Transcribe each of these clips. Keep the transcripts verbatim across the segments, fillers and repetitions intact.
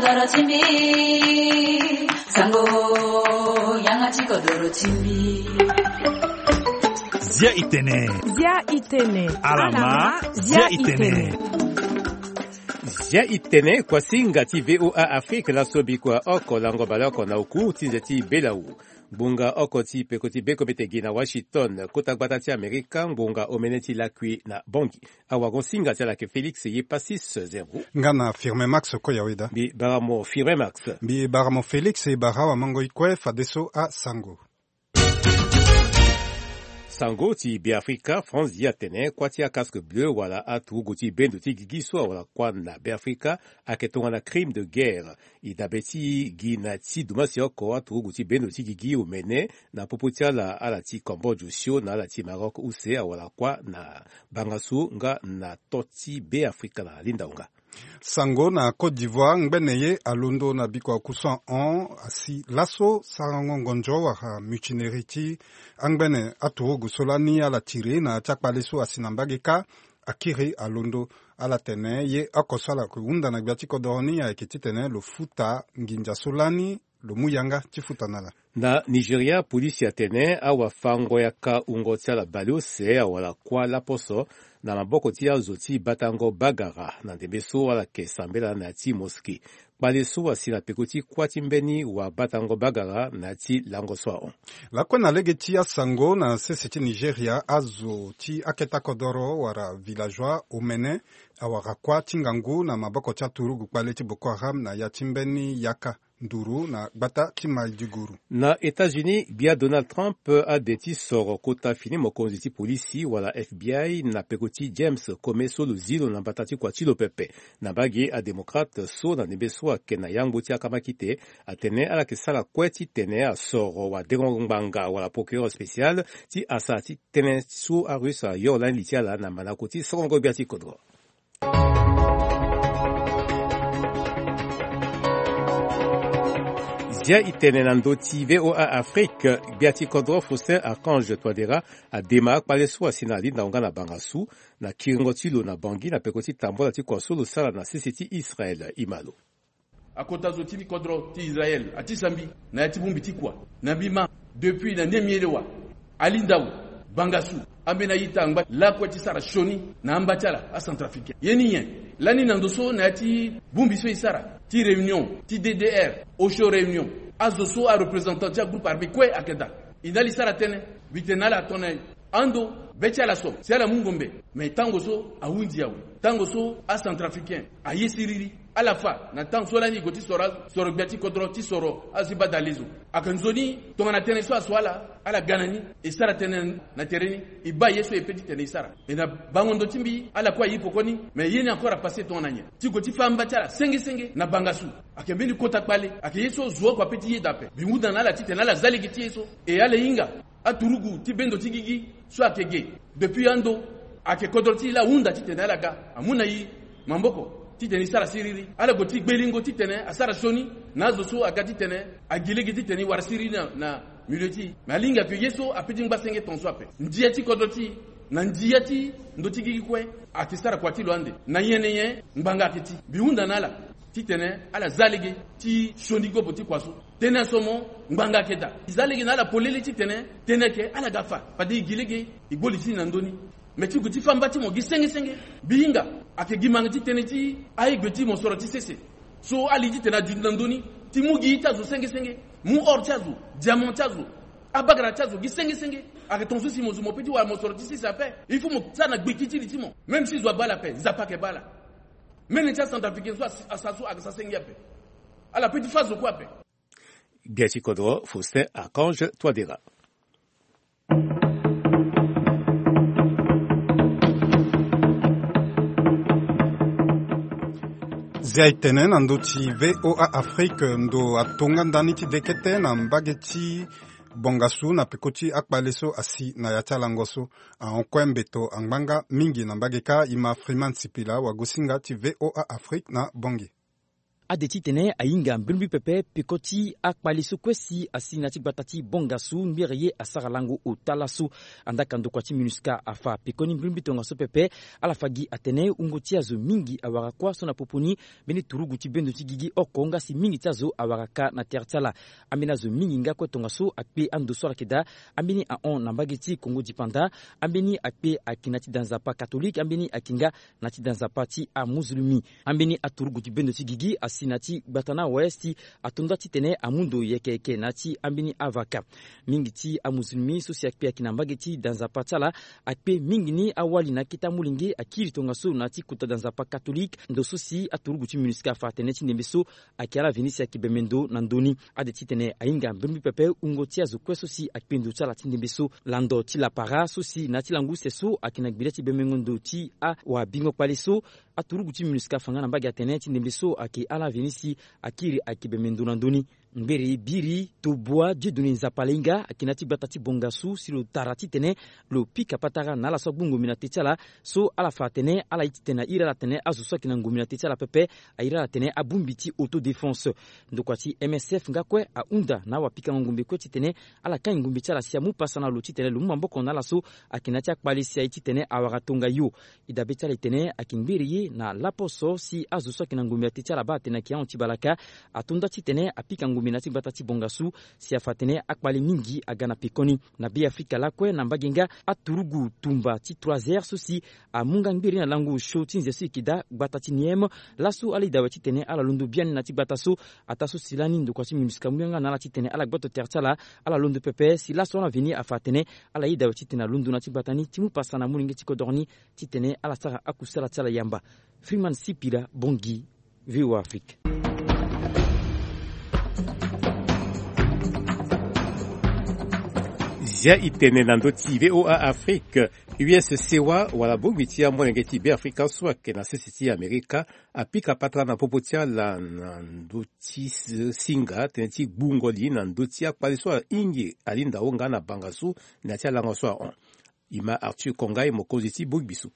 Doro ti mbi, sango, yanga ti kodoro ti mbi. Zia itene. Zia itene. Alama, zia itene. Zia itene, kuasinga ti V O A Afrique, laso bikua oko lango baleoko na oku ti nze ti belawu. Ngbonga oko ti peko ti bekombete gi na Washington, kota gbata ti Amerika, ngbonga omene ti lakui na Bangui. Awagon singa ti ala yeke Félix Yepassis Zerbo. Nga na Firmin Max Koyaweda. Mbi bara mo Firmin Max. Mbi bara mo Félix, e bara awamango ti kue fadeso asango. Sango ti Beafrika, France ye atene kuâ ti acasque bleu wala aturugu ti bendo ti gigi so awara kuâ na Beafrika ayeke tongana crime de guerre. E dabe ti gi na ti dumasio oko aturugu ti bendo ti gigi omene na popo ti ala, ala ti Cambodge osio na ala ti Maroc use awara kuâ na bangasu nga na to ti Beafrika na linda hunga. Sango na Côte d'Ivoire, ngbene ye alondo na bikua kusu ahon asi laso sarango ngonzo wala mutinerie ti angbene aturugu so lani ala tiri na ya ti akpale so asi na mbage kâ. Akiri alondo, ala tene ye oko so ala yeke hunda na gbia ti kodoro ni ayeke titene lo futa nginza so lani lo mu yanga ti futa na ala. Na Nigeria, polisi atene awafango-yaka wungo ti ala baleuse awara kuâ laposo na maboko ti azo ti batango bagara na ndembe so ala yeke sambela na ya ti mosquée. Kpale so asi na peko ti kuâ ti mbeni wabatango bagara na ya ti lango so ahon. Lakue na lege ti asango na sese ti Nigeria, azo ti aketa kodoro wala villageois omene awara kuâ ti ngangu na maboko ti aturugu kpale ti Boko Haram na ya ti mbeni yaka nduru na gbata ti Maiduguri. Na États-Unis, gbia Donald Trump ade ti soro kota fini mokonzi ti polisi wala F B I na peko ti James Comey so lo zi lo na mbata ti kua ti lo pepe. Na mbage adémocrate so na ndembe so ayeke na yangbo ti akamakite atene ala yeke sara kue titene asoro wadengo ngbanga wala procureur spécial ti asara ti tënë so arusse ayo lani li ti ala na manako ti sorongo gbia ti kodro. Zia itene na ndö ti V O A Afrique, gbia ti kodro Faustin Archange Touadéra adema akpale so asi na linda hunga na bangasu na kiringo ti lo na Bangui na peko ti tambola ti kua so lo sara na sese ti Israël. E ma lo. Akota zo ti kodro ti Israël atisa mbi na ya ti bongbi ti kua. Na mbi ma depuis na ni miele wa, alindau, bangasu, ambeni a-ita angba lakue ti sara sioni na amba ti ala acentrafricain. Ye ni nyen? Lani na ndo so na ya ti bongbi so e sara ti réunion ti D D R, osio réunion, azo so areprésentant ti agroupe armé kue ayeke daa. E na ala e sara tënë, mbi tene na ala tongana ando be ti ala so si ala mu ngombe. Me tango so ahunzi awe, tango so acentrafricain aye siriri. Ala fa na tango so lani e gue ti soro azo, soro gbia ti kodro ti soro azo ti baa dalezo. Ayeke nzoni tongana tënë so aso ala, ala ga na ni, e sara tënë na tere ni, e baa ye so e pe titene e sara. Me na bango ndo ti mbi ala kue aye pekoni. Me ye ni encore apasse tongana nyen? Ti gue ti fa amba ti ala senge senge na bangasu. Ayeke mbeni kota kpale, ayeke ye so zo oko ape ti yeda ape. Mbi hunda na ala titene ala za lege ti ye so. E ala hinga aturugu ti bendo ti gigi so ayeke ge depuis ando, ayeke kodro ti e laa ahunda titene ala ga, amu na e maboko titene e sara siriri. Ala gue ti gbelingo titene asara sioni na azo so aga titene agi lege titene e wara siriri na, na milieu ti e. Me alingbi ayeke ye so ape ti ngba senge tongaso ape. Ndia ti kodro ti e na ndia ti ndo ti gigi kue ayeke sara kua ti lo ande. Na nyen na nyen ngbanga ayeke ti? Mbi hunda na ala titene ala za lege ti sioni gobo ti kua so. Tënë aso mo ngbanga ayeke daa. E za lege na ala polele titene tënë ayeke ala ga fa, fade e gi lege e gbo li ti e na ndö ni. Me ti gue ti fa mba ti mo gi senge senge. Mbi hinga ayeke gi mange ti tënë ti aye gbe ti mosoro ti sese so ala li titene aduti na ndö ni ti mu gi ye ti azo senge senge, mu or ti azo, diamant ti azo, abagara ti azo gi senge senge. Ayeke tongaso si mo zo mo pe ti wara mosoro ti sese ape. Il faut mo sara na gbeki ti li ti mo. Même si zo abaa ala ape, Nzapa ayeke baa ala. Mene ti acentrafricain so asi, asa so ayeke sa senge ape. Ala pe ti fâ zo kue ape. Gbia ti kodro Faustin Archange Touadéra. Zia e tene na ndö ti V O A Afrique, ndo atonga ndani ti dekete na mbage ti bongasu na peko ti akpale so asi na ya ti alango so. Ahon kue mbeto angba nga mingi na mbage kâ. E ma Freeman Sipila, wagosinga ti V O A Afrique na Bangui. Ade titene ahinga mbrimbri pepe peko ti akpale so kue si asi na ya ti gbata ti Bongasu ngbere ye asara lango ota laso. Andaa ka ndokua ti MINUSCA afa pekoni mbrimbri tongaso pepe. Ala fa gi atene wungo ti azo mingi awara kuâ so na popo ni mbeni turugu ti bendo ti gigi oko nga si mingi ti azo awara ka na tere ti ala. Ambeni azo mingi nga kue tongaso akpe ando so ala yeke daa. Ambeni ahon na mbage ti Kongo dipanda. Ambeni akpe ayeke na ya ti da nzapa katolike, ambeni ayeke nga na ya ti da nzapa ti amuzulumi. Ambeni aturugu ti bendo ti gigi asi na ya ti gbata ni awe si ato nda titene amu ndo yeke yeke na ya ti ambeni avaka. Mingi ti amuzulumi so si akpe ayeke na mbage ti da nzapa ti ala akpe mingi ni awali na akete amolenge akiri tongaso na ya ti kota da nzapa katolike. Ndo so si aturugu ti MINUSCA afa atene ti ndembe so ayeke ala veni si ayeke bembe ndo na ndö ni. Ade titene ahinga mbrimbri pepe wungo ti azo kue so si akpe ndo ti ala ti ndembe so. Lando ti lapara so si na ya ti lango use so ayeke na gbele ti bembengo ndo ti awabingo kpale so, aturugu ti MINUSCA afa nga na mbage atene ti ndembe so ayeke ala veni si akiri ayeke bembe ndo na ndö ni. Ngbere biri tobua Dieudonné Nzapalainga ayeke na ya ti gbata ti Bongasu si lo tara titene lo pika patara na ala so agbongombe na te ti ala. So ala fa atene ala ye titene airi ala atene azo so ayeke na ngombe na te ti ala pepe airi ala atene abongbi ti autodéfense. Ndokua ti M S F nga kue ahunda na awapikango ngombe kue titene ala kai ngombe ti ala si amu pasa na lo titene lo mu maboko na ala so ayeke na ya ti akpale si aye titene awara tongayo. E dabe ti ala e tene ayeke ngbere ye na laposo si azo so ayeke na ngombe na te ti ala baa atene ayeke ahon ti balaka ato nda titene apika ngombe na ya ti gbata ti Bongasu si afa atene akpale mingi aga na pekoni. Na Beafrika lakue na mbage nga aturugu tumba ti trois heures so si amu nga ngbere na lango osio ti nze so e yeke daa gbata ti Niem. Laso ala yeda awe titene ala londo biani na ya ti gbata so. Ataa so si lani ndokua ti MINUSCA amu yanga na ala titene ala gboto tere ti ala. Ala londo pepe si laso ala veni afa atene ala yeda awe titene alondo na ya ti gbata ni ti mu pasa na molenge ti kodoro ni titene ala sara akusala ti ala yamba. Freeman Sipila, Bangui, V O A Afrique. Zia e tene na ndö ti V O A Afrique. U S C wa wala bongbi ti amolenge ti Beafrika so ayeke na sese ti Amerika apika patara na popo ti ala na ndö ti singa tënë ti gbungo li na ndö ti akpale so ahingi alinda wo nga na Bongasu na ya ti alango so ahon. E ma Arthur Kongai, mokonzi ti bongbi so.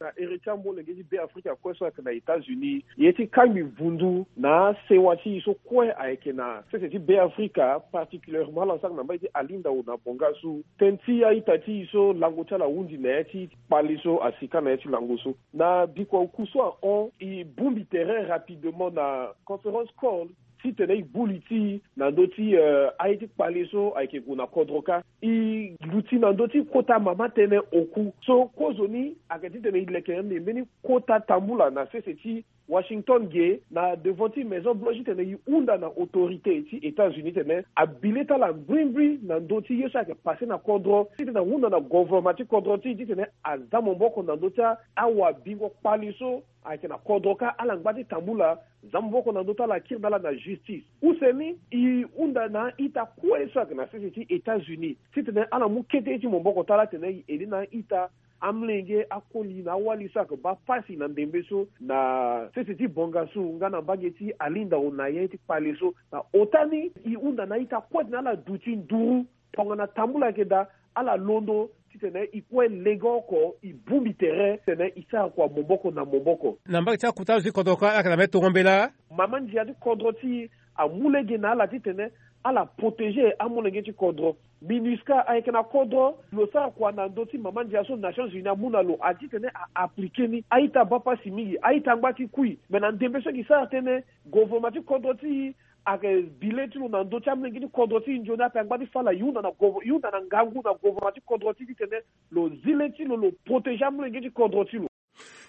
Na ere ti amolenge ti Beafrika kue so ayeke na États-Unis, ye ti kangbi vundu na asewa ti e so kue ayeke na sese ti Beafrika, particulièrement ala sara na mbage ti alinda wo na Bongasu, tënë ti a-ita ti e so lango ti ala ahunzi na ya ti kpale so asika na ya ti lango so. Na bikua oku so ahon, e bongbi tere rapidement na conference call titene e gbu li ti e na ndö ti, eh, aye ti kpale so ayeke gue na kodro kâ. E luti na ndö ti kota mama tënë oku so kozoni ayeke titene e leke ande mbeni kota tambula na sese ti Washington ge na devant ti Maison Blanche titene e hunda na autorité ti États-Unis titene abile ti ala mbrimbri na ndö ti ye so ayeke pase na kodro titene ahunda na govoroma ti kodro ti e titene aza maboko na ndö ti awabingo kpale so ayeke na kodro kâ ala ngba ti tambula za maboko na ndö ti ala akiri na ala na justice. Use ni e hunda na a-ita kue so ayeke na sese ti États-Unis titene ala mu kete ye ti maboko ti ala titene e aidé na a-ita, amolenge, akoli na awali so ayeke baa pasi na ndembe so na sese ti Bongasu nga na mbage ti alinda wo na ya ti kpale so. Na ota ni e hunda na a-ita kue titene ala duti nduru tongana tambula ayeke daa, ala londo titene e kue lege oko e bongbi tere titene e sara kua maboko na maboko. Na mbage ti akota azo ti kodro kue ala yeke na mbeni tongo mbela. Mama ndia ti kodro ti e amu lege na ala titene ala protéger amolenge ti kodro. MINUSCA ayeke na kodro, lo sara kua na ndö ti mama ndia so Nations Unies amu na lo, ati titene a appliquer ni. A-ita baa pasi mingi, a-ita ngba ti kui. Me na ndembe so e ke sara tënë, govoroma ti kodro ti e ayeke bi le ti lo na ndö ti amolenge ti kodro ti e. Nzoni ape angba ti fâ ala, e hunda na govo-, e hunda na ngangu na govoroma ti kodro ti e titene lo zi le ti lo, lo protéger amolenge ti kodro ti lo.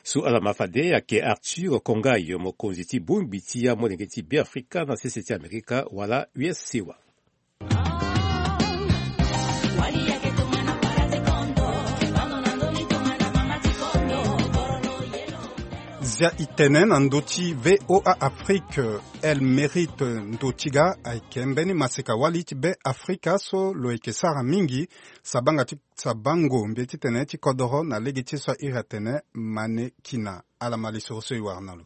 So ala ma fade ayeke Arthur Kongai, mokonzi ti bongbi ti amolenge ti Beafrika na sese ti Amerika wala U S C wa. Zia e tene na ndö ti V O A Afrique, El Mérite Ndotiga ayeke mbeni maseka-wali ti Beafrika so lo yeke sara mingi sabanga ti sabango mbi ye titene ti kodoro na lege ti ye so a iri atene Mane Kina. Ala ma lisoro so e wara na lo.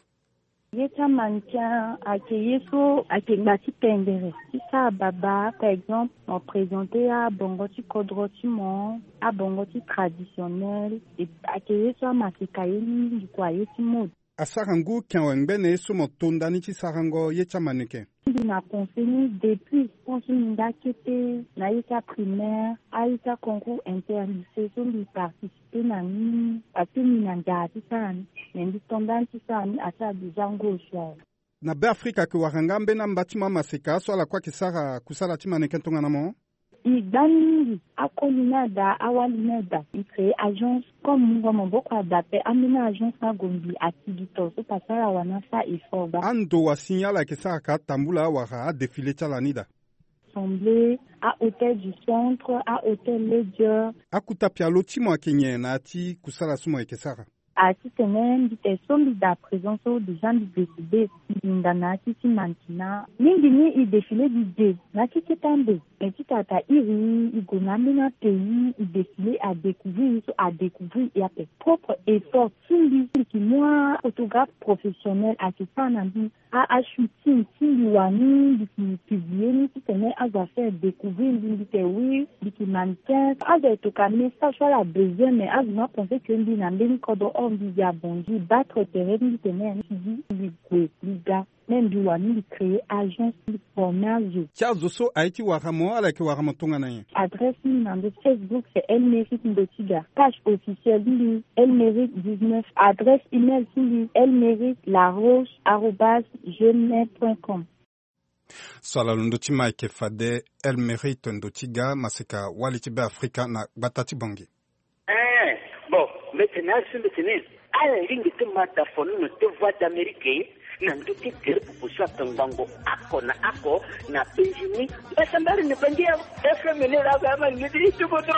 Ye ti amannequin ayeke ye so ayeke ngba ti pendere ti sara babâ. Par exemple, mo présenter abongo ti kodro ti mo, abongo ti traditionnel, e ayeke ye so amaseka ye mingi kua, ye ti mode. Asara ngu ken awe ngbene ye so mo to ndani ti sarango ye ti amaneke. Mbi na pense ni depuis tant so mbi nga kete na ita primaire, aita concours interlycée so mbi participer na ni, ape mbi na nzara ti sara ni. Mais mbi to ndani ti sara ni asara déjà ngu osio awe. Na Beafrika ayeke wara nga ambeni amba ti mo amaseka so ala kue ayeke sara kusala ti maneke tongana mo. E gba ni mingi. Akoli ni ada, awali ni ada, e créer agence. Comme mungo maboko ada ape, ambeni agence ni ague mbi atigi to so pasara wani asa effort baa. Ando wa si ni ala yeke sara ka atambula wala adéfilé ti ala ni daa. Assemblée, ahôtel du centre, ahôtel Ledger. Akuta pialo ti mo ayeke nyen na ya ti kusala so mo yeke sara? A titene mbi te so mbi daa présent so déjà mbi décidé mbi hinga na ya ti ti mannequinat. Mingi ni e défilé di de na ti kete ande. Mais ti tata iri e gue na ambeni apays e défilé, adécouvrir e so adécouvrir e ape. Propre effort ti mbi, mbi yeke mu aphotographe professionnel ayeke sara na mbi a ashooting ti mbi wani, mbi yeke publier ni titene azo afaire découvrir mbi, mbi yeke wi, mbi yeke mannequin. Azo ayeke toka message so ala besoin, mais azo ni apenser que mbi na mbeni kodro, or mbi gi abongi battre terrain ti mbi tene mbi ti gi mbi gue mbi ga. Même mbi wani mbi créer agence, mbi former azo. Ti azo so aye ti wara mo, ala yeke wara mo tongana nyen? Adresse ti mbi na ndo ti Facebook c'est Elmerick Ndotiga. Page officielle ti mbi Elmerick dix-neuf. Adresse email ti mbi Elmerick Laroche arobase gmail point com. So ala londo ti ma ayeke fade Elmerick Ndotiga, maseka wali ti Beafrika na gbata ti Bangui. Eh, bon, mbi tene asi mbi tene ala lingbi ti ma da fonono ti Voix d'Amérique na ndö ti tere popo so atongbango oko na oko na penzi ni. Mbasambari ni Bangui FM ni laa, ama ni ti ti kodro.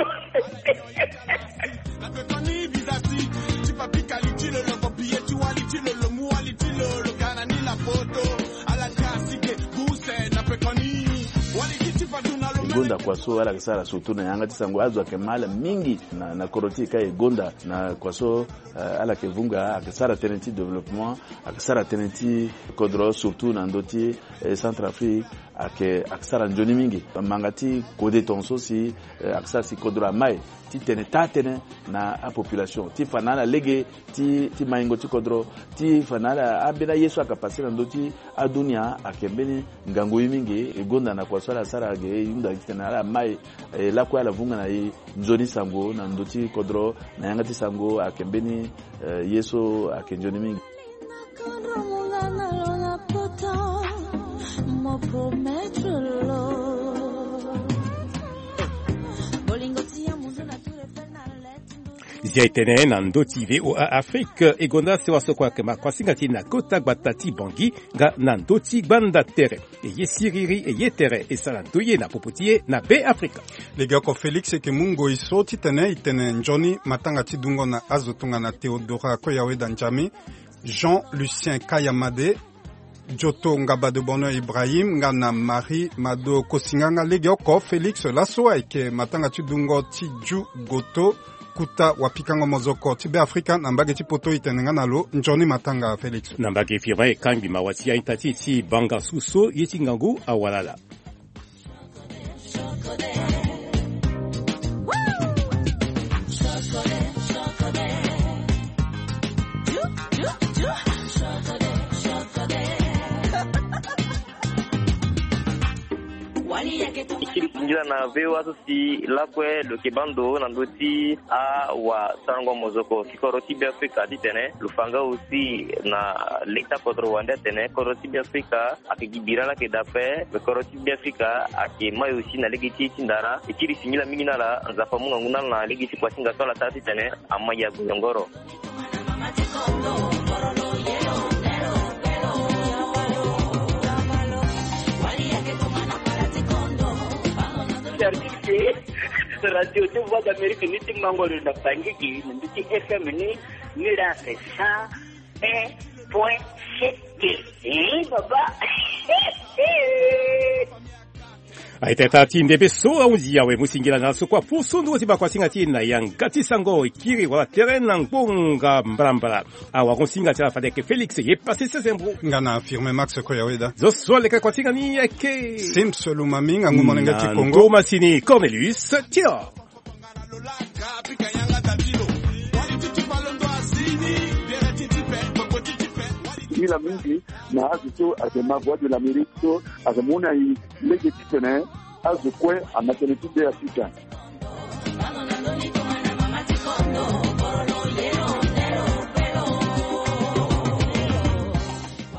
E gonda kua so ala yeke sara surtout na yanga ti sango, azo ayeke ma ala mingi na, na kodro ti e ka e gonda na kua so, eh, ala yeke vunga, ayeke sara tënë ti développement, ayeke sara tënë ti kodro, surtout na ndö ti, eh, Centrafrique, ayeke, ayeke sara nzoni mingi. Manga ti kode tongaso si, eh, ayeke sara si kodro amai titene taa tënë na apopulation ti fa na ala lege ti, ti maingo ti kodro, ti fa na ala ambeni aye so ayeke pase na ndö ti adunia, ayeke mbeni ngangu ye mingi. E gonda na kua so ala sara ge, e hunda titene ala mai, e lakue ala vunga na e nzoni sango na ndö ti kodro, na yanga ti sango ayeke mbeni, eh, ye so ayeke nzoni mingi. Zia e tene na ndö ti VOA Afrique, e gonda sewa so kue ayeke ma kuasinga ti e na kota gbata ti Bangui, nga na ndö ti gbanda tere. E ye siriri, e ye tere, e sara ndoye na popo ti e na Beafrika. Legeoko Félix e yeke mu ngoi so titene e tene nzoni matanga ti dungo na azo tongana Théodora Koyaweda Njami, Jean Lucien Kayamade, Joto Ngabado Bono Ibrahim, nga na Marie Mado Kosinga. Nga legeoko Félix, laso ayeke matanga ti dungo ti Ju Goto, kuta wapikango mozoko ti Beafrika na mbage ti poto. E tene nga na lo nzoni matanga, Félix. Na mbage firme e kangbi mawa ti a-ita ti e ti banga su so ye ti ngangu awalala. E kiri singila na VOA so si lakue lo yeke baa ndo na ndö ti awasarango mozoko ti kodro ti Beafrika titene lo fa nga aussi na leta kodro wande atene kodro ti Beafrika ayeke gi bira laa ayeke daa ape, me kodro ti Beafrika ayeke mai aussi na lege ti e ti ndara. E kiri singila mingi na ala, Nzapa amu ngangu na ala na lege ti kuasinga so ala sara titene amai ague yongoro. Radio ti Voix d'Amérique ni ti mango lo na Bangui gi na ndö ti F M ni, ni laa c'est cent un point sept. Eh, baba. Aita ita ti ndembe so ahunzi awe, mu singila na ala so kue apusu ndugu ti bakuasinga ti e na yanga ti sango. E kiri wala tere na ngbonga mbalambala. Awaron-singa ti ala fade ayeke Félix ye Passé Sesembro. Nga na Firmin Max Koyaweda. Zo so aleke kuasinga ni ayeke Sims Lumami, ngangu molenge ti Kongo. Ndo masini Cornelius Tio. Nga na Lola Kapika yanga Davilo. Wali titi balondo asini. Bere titi pe, boko titi pe. Hila mingi na azo so ayeke ma Voix de l'Amérique so ayeke mu na e lege titene azo kue ama tënë ti be afrika.